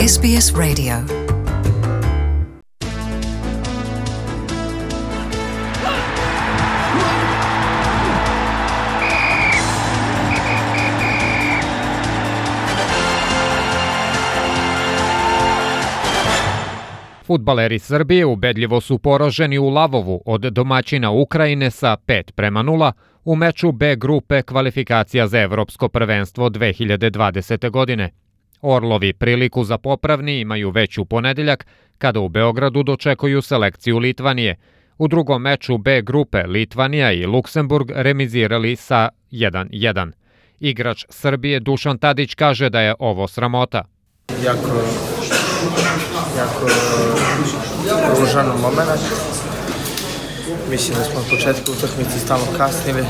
SBS Radio. Fudbaleri Srbije ubedljivo su poraženi u Lavovu od domaćina Ukrajine sa 5:0 u meču B grupe kvalifikacija za Evropsko prvenstvo 2020. godine. Orlovi priliku za popravni imaju već u ponedeljak, kada u Beogradu dočekuju selekciju Litvanije. U drugom meču B grupe Litvanija i Luksemburg remizirali sa 1:1. Igrač Srbije Dušan Tadić kaže da je ovo sramota. Jako ružan moment. Mislim da smo od početka utakmice stalno kasnili,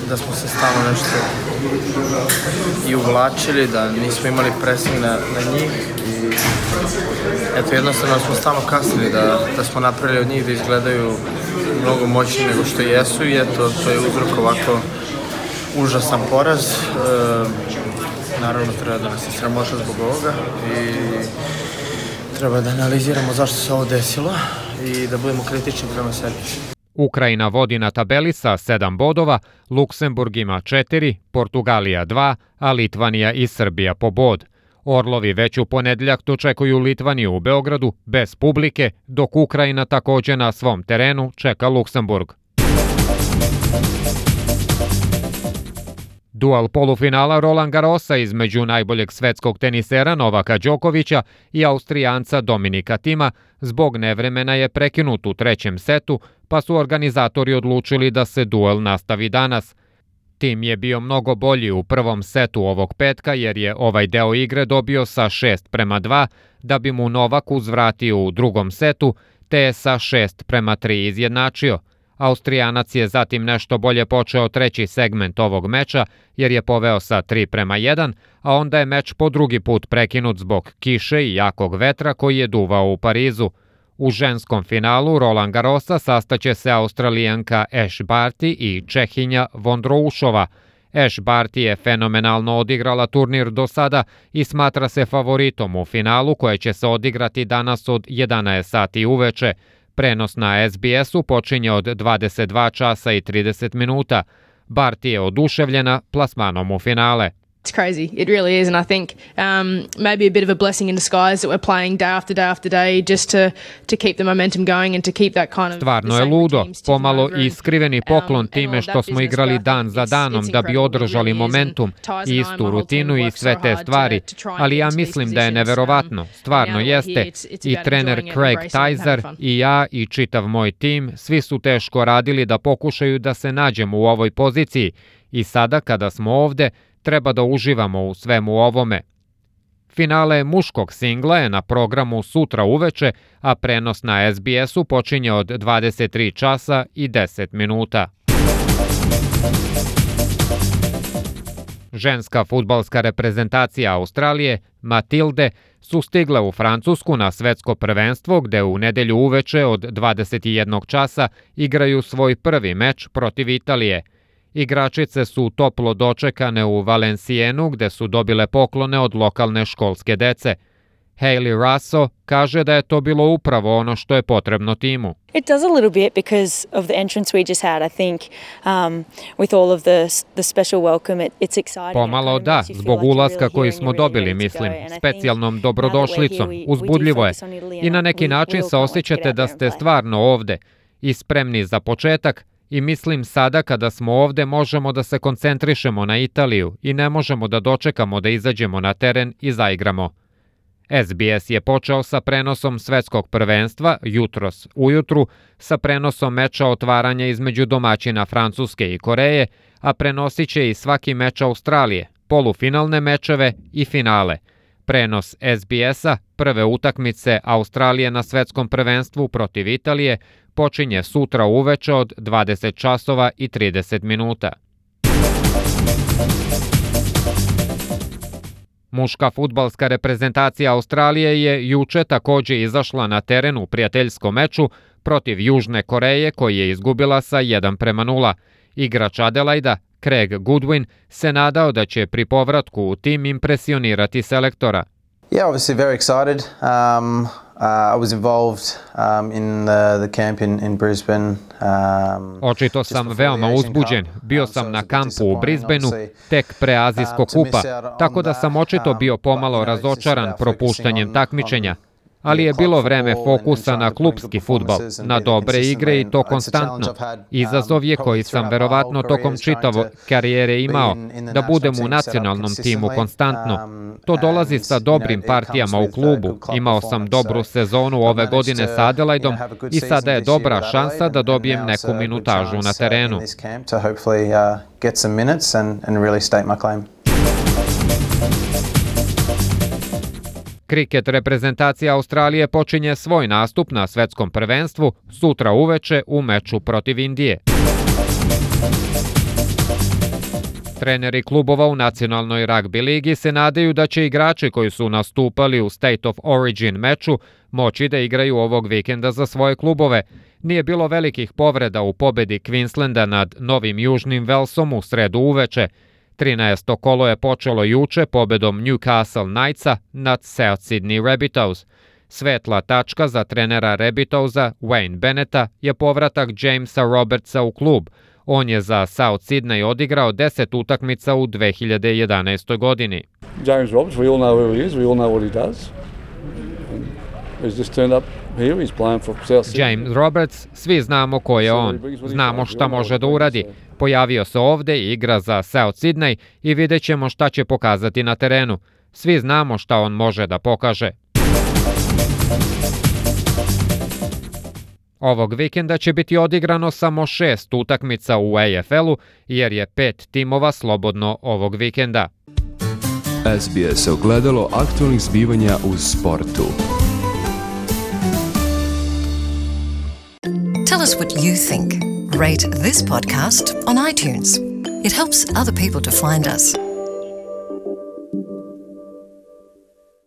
da smo se stalno nešto i uvlačili, da nismo imali presing na njih i eto, jednostavno smo stalno kasnili, da smo napravili od njih da izgledaju mnogo moćniji nego što jesu i eto, to je uzrok ovako užasan poraz. Naravno, treba da nas je sramota zbog ovoga i treba da analiziramo zašto se ovo desilo i da budemo kritični prema sebi. Ukrajina vodi na tabeli sa 7 bodova, Luksemburg ima 4, Portugalija 2, a Litvanija i Srbija po bod. Orlovi već u ponedeljak dočekuju Litvaniju u Beogradu bez publike, dok Ukrajina takođe na svom terenu čeka Luksemburg. Duel polufinala Roland Garrosa između najboljeg svetskog tenisera Novaka Đokovića i Austrijanca Dominika Tima zbog nevremena je prekinut u trećem setu, pa su organizatori odlučili da se duel nastavi danas. Tim je bio mnogo bolji u prvom setu ovog petka jer je ovaj deo igre dobio sa 6:2, da bi mu Novak uzvratio u drugom setu, te je sa 6:3 izjednačio. Austrijanac je zatim nešto bolje počeo treći segment ovog meča jer je poveo sa 3:1, a onda je meč po drugi put prekinut zbog kiše i jakog vetra koji je duvao u Parizu. U ženskom finalu Roland Garrosa sastaće se Australijanka Ash Barty i Čehinja Vondroušova. Ash Barty je fenomenalno odigrala turnir do sada i smatra se favoritom u finalu koje će se odigrati danas od 11 sati uveče. Prenos na SBS-u počinje od 22 časa i 30 minuta. Barty je oduševljena plasmanom u finale. It's crazy. It really is, and I think maybe a bit of a blessing in disguise that we're playing day after day after day just to keep the momentum going and to keep that kind of. Stvarno je ludo, pomalo i skriveni poklon time što smo igrali dan za danom da bi održali momentum i istu rutinu i sve te stvari, ali ja mislim da je neverovatno, stvarno jeste. I trener Craig Tyser i ja i čitav moj tim, svi su teško radili da pokušaju da se nađemo u ovoj poziciji i sada kada smo ovde, treba da uživamo u svemu ovome. Finale muškog singla je na programu sutra uveče, a prenos na SBS-u počinje od 23 časa i 10 minuta. Ženska fudbalska reprezentacija Australije, Matilde, su stigle u Francusku na svetsko prvenstvo gde u nedelju uveče od 21 časa igraju svoj prvi meč protiv Italije. Igračice su toplo dočekane u Valencienu gde su dobile poklone od lokalne školske dece. Hayley Russo kaže da je to bilo upravo ono što je potrebno timu. It does a little bit because of the entrance we just had. I think with all of the special welcome, it's exciting. Pomalo da, zbog ulaska koji smo dobili, mislim, specijalnom dobrodošlicom, uzbudljivo je. I na neki način se osjećate da ste stvarno ovde i spremni za početak. I mislim sada kada smo ovde možemo da se koncentrišemo na Italiju i ne možemo da dočekamo da izađemo na teren i zaigramo. SBS je počeo sa prenosom svetskog prvenstva jutros ujutru, sa prenosom meča otvaranja između domaćina Francuske i Koreje, a prenosit će i svaki meč Australije, polufinalne mečeve i finale. Prenos SBS-a prve utakmice Australije na svetskom prvenstvu protiv Italije počinje sutra uveče od 20 časova i 30 minuta. Muška fudbalska reprezentacija Australije je juče takođe izašla na teren u prijateljskom meču protiv Južne Koreje koji je izgubila sa 1:0. Igrač Adelaida, Craig Goodwin se nadao da će pri povratku u tim impresionirati selektora. Yeah, obviously very excited. I was involved in the camp in Brisbane. Očito sam veoma uzbuđen. Bio sam na kampu u Brisbaneu tek pre Azijskog kupa, tako da sam očito bio pomalo razočaran propuštanjem takmičenja. Ali je bilo vreme fokusa na klupski fudbal, na dobre igre i to konstantno. Izazov je koji sam verovatno tokom čitave karijere imao, da budem u nacionalnom timu konstantno. To dolazi sa dobrim partijama u klubu. Imao sam dobru sezonu ove godine sa Adelaidom i sada je dobra šansa da dobijem neku minutažu na terenu. Kriket reprezentacija Australije počinje svoj nastup na svetskom prvenstvu sutra uveče u meču protiv Indije. Treneri klubova u nacionalnoj ragbi ligi se nadaju da će igrači koji su nastupali u State of Origin meču moći da igraju ovog vikenda za svoje klubove. Nije bilo velikih povreda u pobedi Queenslanda nad Novim Južnim Velsom u sredu uveče. 13. kolo je počelo juče pobedom Newcastle Knightsa nad South Sydney Rabbitohs. Svetla tačka za trenera Rabbitohsa, Wayne Bennetta, je povratak Jamesa Robertsa u klub. On je za South Sydney odigrao 10 utakmica u 2011. godini. James Roberts, we all know who he is, we all know what he does. He's just turned up here, he's playing for South Sydney. James Roberts, svi znamo ko je on. Znamo šta može da uradi. Pojavio se ovde i igra za South Sydney i vidjet ćemo šta će pokazati na terenu. Svi znamo šta on može da pokaže. Ovog vikenda će biti odigrano samo 6 utakmica u AFL-u, jer je 5 timova slobodno ovog vikenda. SBS ogledalo aktualnih zbivanja u sportu. Tell us what you think. Rate this podcast on iTunes. It helps other people to find us.